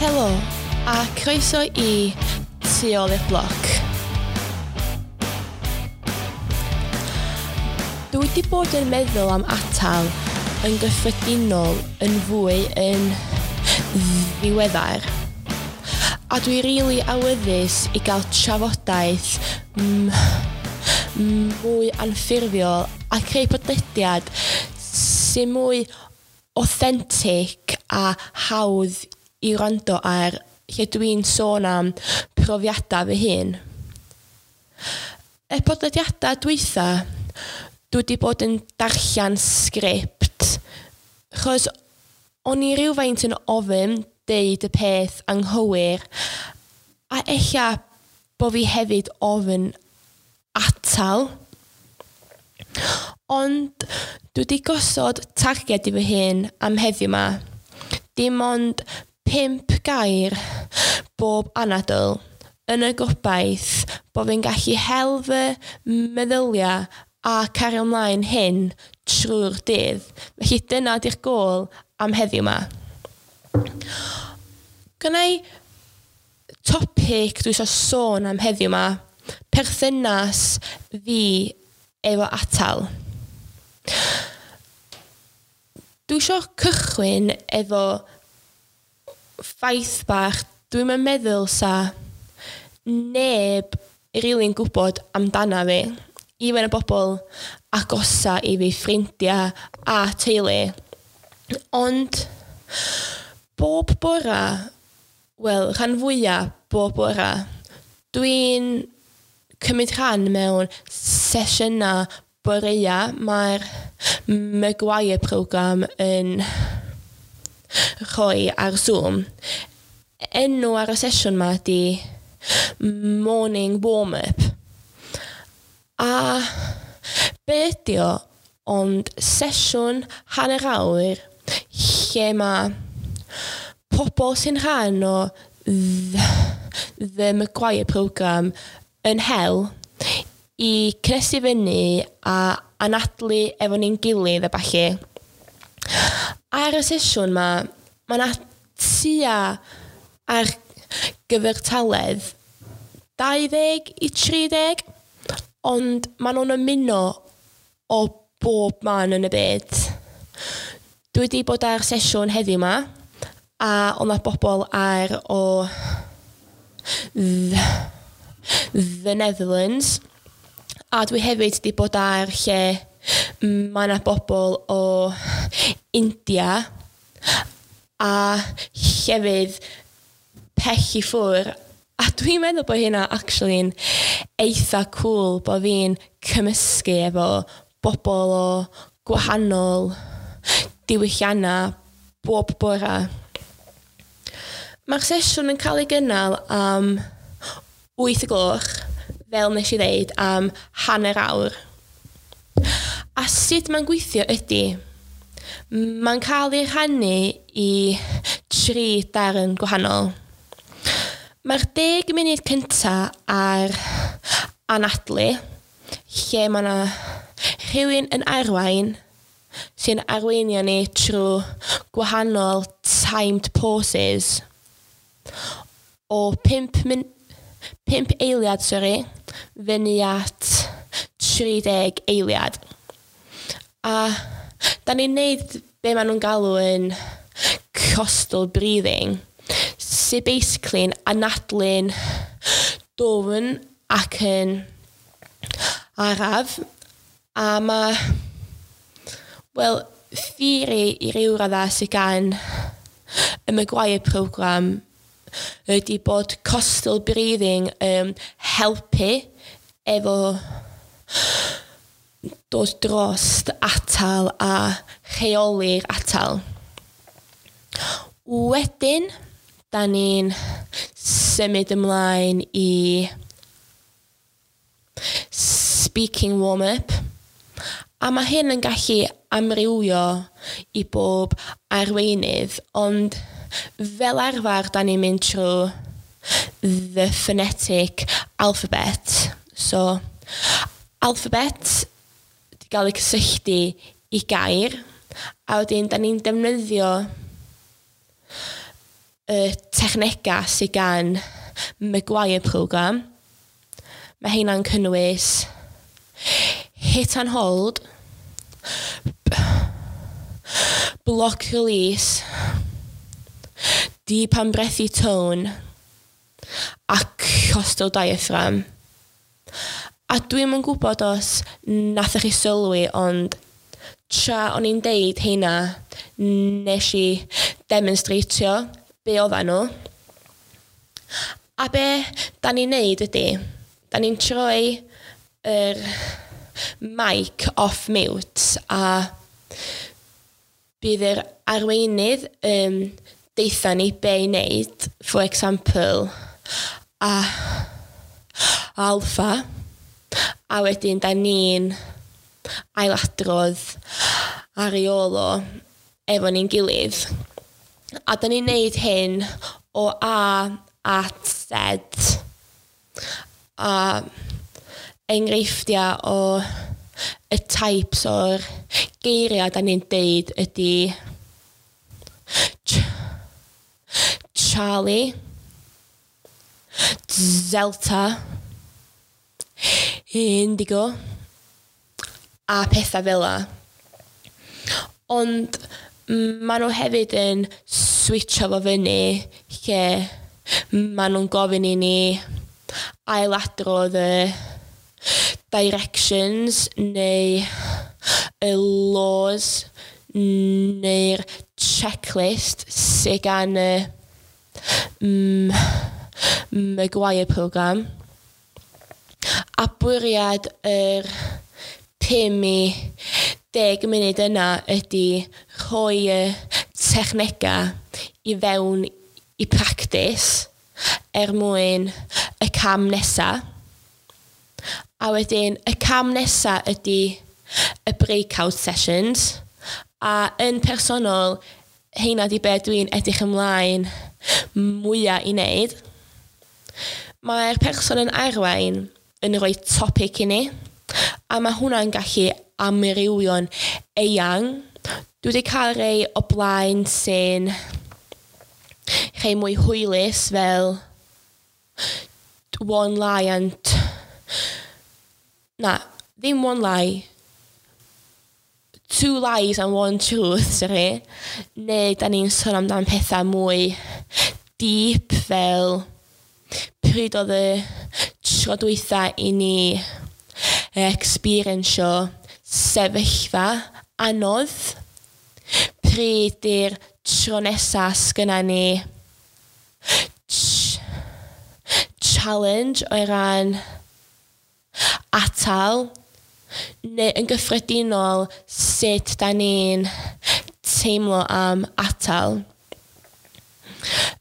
Helo, a croeso i Tu ôl i'r bloc. Dwi wedi bod yn meddwl am atal yn gyffredinol yn fwy yn ddiweddar. A dwi rili awyddus i gael trafodaeth mwy anffurfiol a creu podlediad sy'n mwy authentic a hawdd i wrando ar lle dwi'n sôn am profiadau fy hun. Y podlediadau dwytha, dwi wedi bod yn darllen sgript, chos o'n i rywfaint yn ofyn deud y peth anghywir, a ella bo fi hefyd ofyn atal. Ond dwi wedi gosod targed i fy hun am heddiw 'ma. Dim ond 5 gair bob anadl yn y gobaith bo fi'n gallu hel fy meddyliau a cario ymlaen hyn trwy'r dydd. Felly dyna 'di'r gôl am heddiw 'ma. Gynna i topic dwi isio sôn am heddiw 'ma, perthynas fi efo atal. Dwi isio cychwyn efo ffaith bach dwi'm yn meddwl 'sa neb rili'n gwybod amdana fi, even y bobl agosa i fi, ffrindiau a teulu. Ond bob bora, wel rhan fwya bob bora, dwi'n cymryd rhan mewn sesiynau boreua. Mae'r Maguire programme yn rhoi ar Zoom. Enw ar y sesiwn 'ma ydi Morning Warm-up. A be ydi o ond sesiwn hanner awr lle ma' pobl sy'n rhan o The Maguire programme yn hel i cnesu fyny a anadlu efo ni'n gilydd a ballu. Ar y sesiwn 'ma, ma' 'na tua ar gyfartaledd 20 i 30, ond maen nhw'n ymuno o bob man yn y byd. Dwi wedi bod ar sesiwn heddiw 'ma, a oedd 'na bobl ar o The Netherlands, a dwi hefyd wedi bod ar lle mae 'na bobl o India a llefydd pell i ffwr', a dwi'n meddwl bod hynna actually'n eitha cŵl bo fi'n cymysgu efo bobl o gwahanol diwylliannau bob bora. Mae'r sesiwn yn cael ei gynnal am 8 y gloch, fel nes i ddeud, am hanner awr. A sut mae'n gweithio ydy, mae'n cael ei rhannu i 3 darn gwahanol. Mae'r 10 munud cynta ar anadlu, lle mae 'na rhywun yn arwain sy'n arweinio ni trwy gwahanol timed pauses o 5 min 5 eiliad sori, fyny at 30 eiliad. A da ni'n neud be maen nhw'n galw yn costal breathing, sy'n basically'n anadlu'n dwfn ac yn araf, a ma', wel, theori i ryw radda sydd gan y Maguire programme ydy bod costal breathing yn helpu efo dod drost atal a rheoli'r atal. Wedyn, da ni'n symud ymlaen i speaking warm-up, a mae hyn yn gallu amrywio i bob arweinydd, ond fel arfer da ni'n mynd trwy the phonetic alphabet. So, alphabet 'di gael ei cysylltu i gair, a wedyn da ni'n defnyddio y technegau sydd gan Maguire Programme. Mae heina'n cynnwys hit and hold, block release, deep and breathy tone a costal diaphragm. A dwi'm yn gwybod os nathoch chi sylwi, ond tra o'n i'n deud heina, nes i demonstratio be oeddan nhw. A be da ni'n neud ydy, da ni'n troi yr mic off mute a bydd yr arweinydd yn deutha ni be i wneud, for example, a alpha, a wedyn da ni'n ailadrodd ar ei ôl o efo ni'n gilydd. A da ni'n neud hyn o A at Z. A enghreifftiau o y types o'r geiriau da ni'n deud ydy Charlie, Delta, Indigo a pethau fel 'a. Ond maen nhw hefyd yn switcho fo fyny lle maen nhw'n gofyn i ni ailadrodd y directions neu y laws neu'r checklist sydd gan y Maguire Programme. A bwriad yr 5 i 10 munud yna ydy rhoi y technegau i fewn i practis er mwyn y cam nesa. A wedyn y cam nesa ydy y breakout sessions. A yn personol, heina di be dwi'n edrych ymlaen mwyaf i wneud. Mae'r person yn arwain yn rhoi topic i ni, a mae hwnna'n gallu amrywio'n eang. Dwi wedi cael rei o blaen sy'n rhai mwy hwylus fel one lie and... Na, ddim one lie. Two lies and one truth, sorry. Neu da ni'n sôn amdan pethau mwy deep fel pryd oedd y tro dwytha i ni experiensio sefyllfa anodd. Pryd di'r tro nesa sgynna ni challenge o ran atal neu yn gyffredinol sut da ni'n teimlo am atal.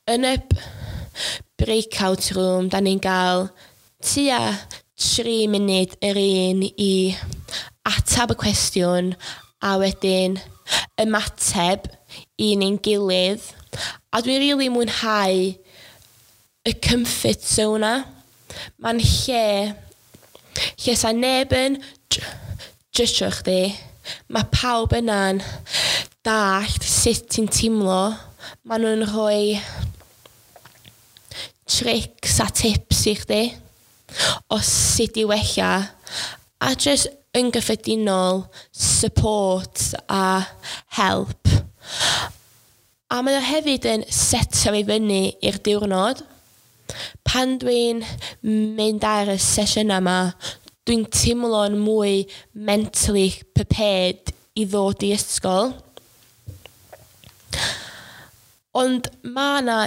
Yn y breakout room, da ni'n gael tua 3 munud yr un i atab y cwestiwn a wedyn ymateb i ni'n gilydd. A dwi'n rili mwynhau y comfort zone 'na. Mae'n lle lle sa neb yn judgio chdi. Mae pawb yna'n dallt sut ti'n teimlo. Maen nhw'n rhoi tricks a tips i chdi o sut i wella a jyst yn gyffredinol support a help. A mae o hefyd yn setio fi fyny i'r diwrnod. Pan dwi'n mynd ar y sesiynau yma, dwi'n teimlo'n mwy mentally prepared i ddod i ysgol. Ond mae yna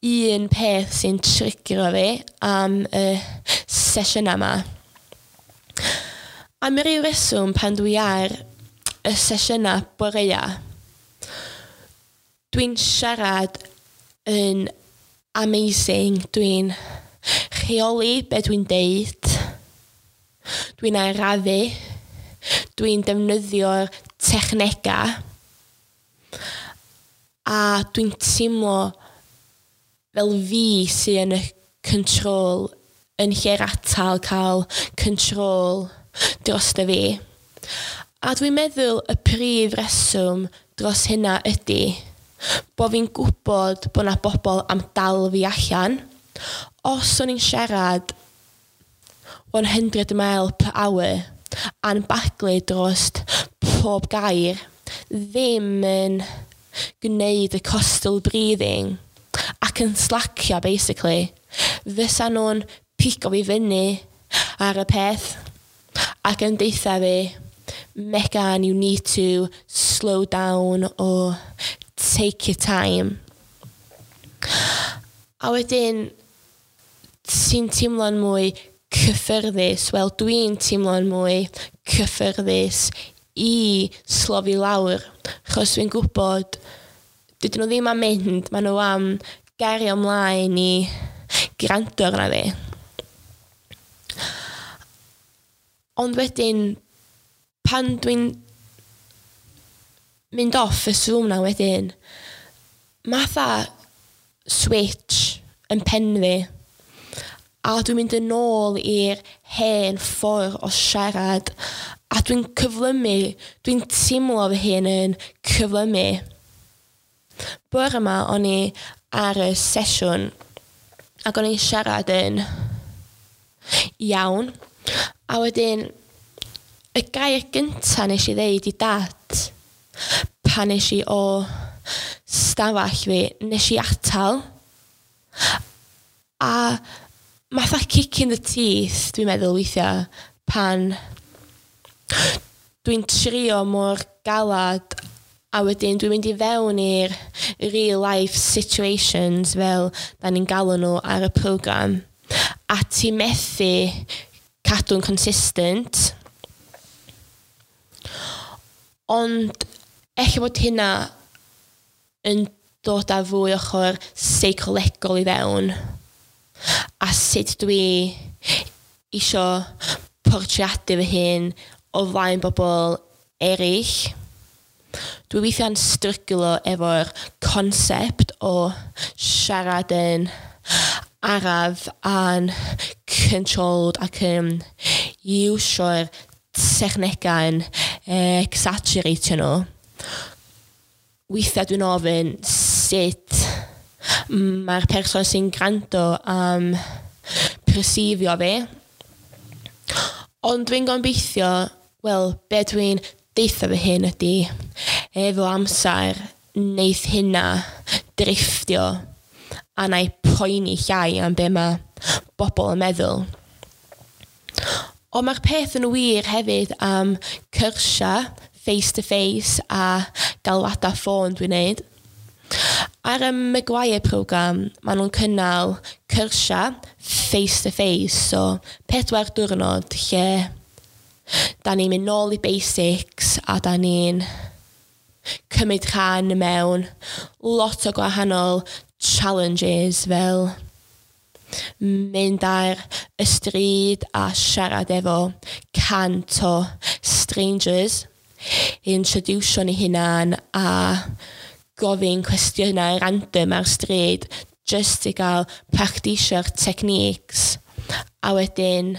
un peth sy'n trigro fi am y sesiynau yma. Am ryw reswm pan dwi ar y sesiynau boreua, dwi'n siarad yn amazing. Dwi'n rheoli be dwi'n deud. Dwi'n arafu. Dwi'n defnyddio'r technegau. A dwi'n teimlo fel fi sydd yn y control yn lle'r atal cael control drosto fi. A dwi'n meddwl y prif reswm dros hynna ydy Bo fi'n gwybod bod 'na bobl am dal fi allan. Os o'n i'n siarad 100 mile per hour a'n baglu drost pob gair, ddim yn gwneud y costal breathing ac yn slacio basically, fysa nhw'n pigo fi fyny ar y peth ac yn deutha fi, "Megan, you need to slow down or take your time." A wedyn ti'n teimlo'n mwy cyffyrddus, wel, dwi'n teimlo'n mwy cyffyrddus i slofi lawr, achos dwi'n gwybod dydyn nhw ddim am mynd, maen nhw am gario ymlaen i gwrando arna fi. Ond wedyn, pan dwi'n mynd off y Zoom na wedyn, matha switch yn pen fi. A dwi'n mynd yn ôl i'r hen ffordd o siarad a dwi'n cyflymu, dwi'n teimlo fy hun yn cyflymu. Bore yma o'n i ar y sesiwn ac o'n i'n siarad yn iawn. A wedyn, y gair gynta nes i ddeud i Dad pan nes i o stafell fi, nes i atal. A matha kick in the teeth, dwi'n meddwl weithiau, pan dwi'n trio mor galad a wedyn dwi'n mynd i fewn i'r real life situations, fel da ni'n galw nhw ar y program, a ti methu cadw'n consistent. Ond ella bod hynna yn dod â fwy ochr seicolegol i fewn a sut dwi isio portreadu fy hun o flaen bobl eraill. Dwi weithiau'n stryglo efo'r concept o siarad yn araf a'n controlled ac yn iwsio'r technegau yn exaggeratio nhw. Weithiau dwi'n ofyn sut mae'r person sy'n gwrando am perceivio fi. Ond dwi'n gobeithio, wel, be dwi'n deutha fy hun ydy, efo amser, neith hynna drifftio a na i poeni llai am be mae bobl yn meddwl. Ond mae'r peth yn wir hefyd am cyrsia face to face a galwadau ffôn dwi'n neud. Ar y Maguire program, maen nhw'n cynnal cyrsia face to face, so 4 diwrnod lle da ni'n mynd nôl i basics a da ni'n cymryd rhan mewn lot o gwahanol challenges, fel mynd ar y stryd a siarad efo 100 o strangers, introducio ni hunan a gofyn cwestiynau random ar stryd just i gael practisio'r techniques, a wedyn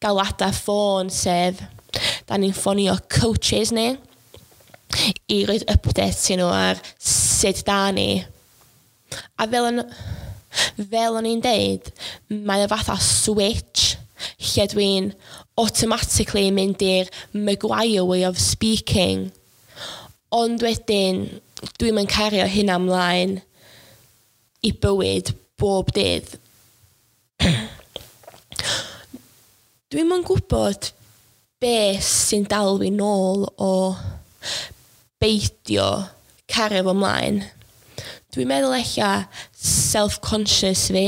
galwadau ffôn, sef da ni'n ffonio coaches ni i roid updates i nhw ar sut da ni. A fel o'n i'n deud, mae o fatha switch lle dwi'n automatically mynd i'r Maguire way of speaking. Ond wedyn, dwi'n mynd cario hynna ymlaen i bywyd bob dydd. Dwi'm yn gwybod be sy'n dal fi nôl o beidio cario fo mlaen. Dwi'n meddwl ella self-conscious fi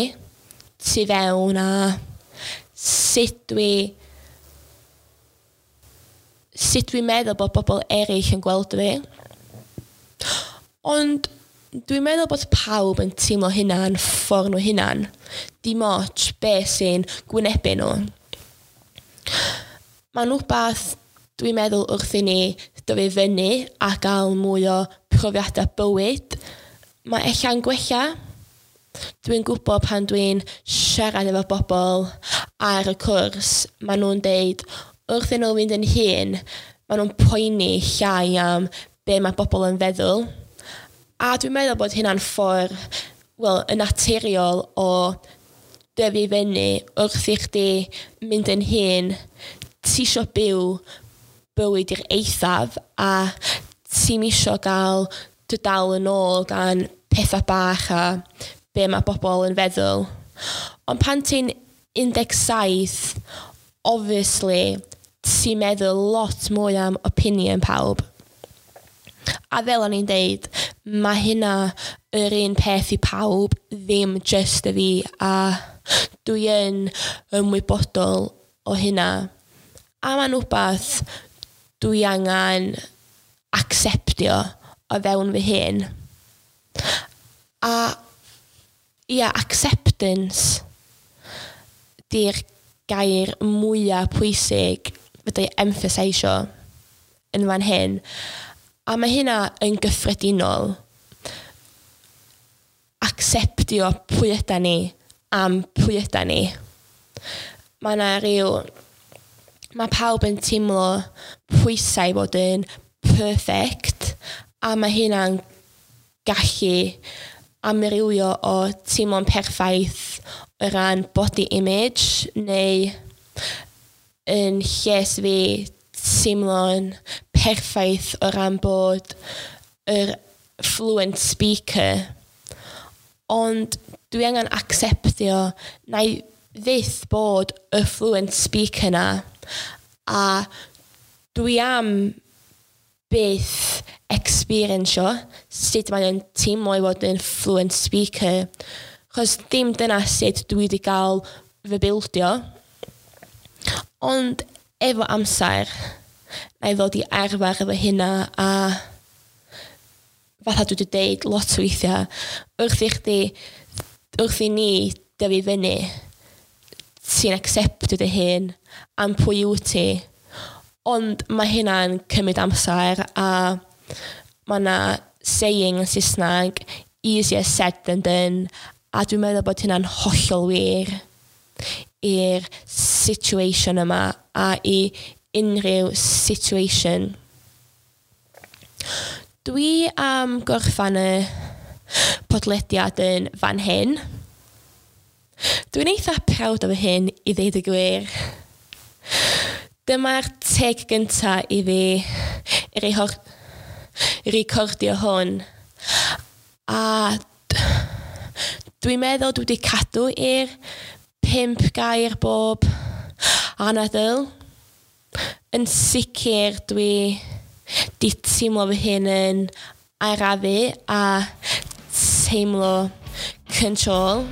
tu fewn a sut dwi'n meddwl bod bobl eraill yn gweld fi. Ond dwi'n meddwl bod pawb yn teimlo hynna yn ffordd nhw hunan. Dim ots be sy'n gwynebu nhw. Mae'n rhywbeth dwi'n meddwl wrth i ni dyfu fyny a gael mwy o profiadau bywyd, mae ella'n gwella. Dwi'n gwybod pan dwi'n siarad efo bobl ar y cwrs, maen nhw'n deud wrth i nhw fynd yn hŷn, maen nhw'n poeni llai am be mae bobl yn feddwl. A dwi'n meddwl bod hynna'n ffordd, wel, yn naturiol o dyfu fyny wrth i chdi mynd yn hŷn, ti isio byw bywyd i'r eithaf a ti'm isio gael dy dal yn ôl gan pethau bach a be mae bobl yn feddwl. Ond pan ti'n 17, obviously, ti'n meddwl lot mwy am opinion pawb. A fel o'n i'n deud, mae hynna yr un peth i pawb, ddim just y fi, a dwi yn ymwybodol o hynna. A mae'n wbath dwi angen acceptio o fewn fy hun. A ia, acceptance di'r gair mwyaf pwysig fedra i emphasisio yn fan hyn. A mae hynna yn gyffredinol. Acceptio pwy yda ni am pwy yda ni. Mae yna rhyw... Mae pawb yn teimlo pwysau i fod yn perfect, a mae hynna'n gallu amrywio o teimlo'n perffaith o ran body image neu yn lles fi teimlo'n perffaith o ran bod yr fluent speaker. Ond dwi angen acceptio na i fyth bod y fluent speaker na, a dwi am byth experiensio sut mae o'n teimlo i fod yn fluent speaker, chos dim dyna sut dwi wedi cael fy bildio. Ond efo amser, na i ddod i arfer efo hynna, a fatha dwi wedi deud lot o weithiau, wrth i chdi, wrth i ni dyfu fyny, ti'n acceptio dy hun am pwy wyt ti. Ond mae hynna'n cymryd amser, a mae yna saying yn Saesneg, easier said than done, a dwi'n meddwl bod hynna'n hollol wir i'r situation yma a i unrhyw situation. Dwi am gorffan y podlediad yn fan hyn. Dwi'n eitha proud o fy hyn i ddeud y gwir. Dyma'r teg gynta i fi recordio hwn. A dwi'n meddwl dwi wedi cadw i'r 5 gair bob anadl. Yn sicr dwi di teimlo fy hun yn arafu a teimlo control.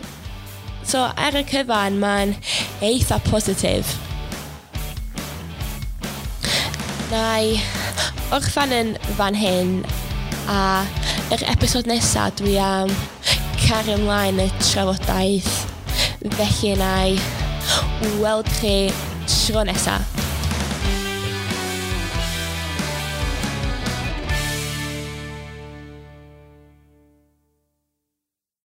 So ar y cyfan mae'n eitha positif. Na i orffan yn fan hyn, a yr episod nesaf dwi am cario ymlaen y trafodaeth. Felly na i weld chi tro nesaf.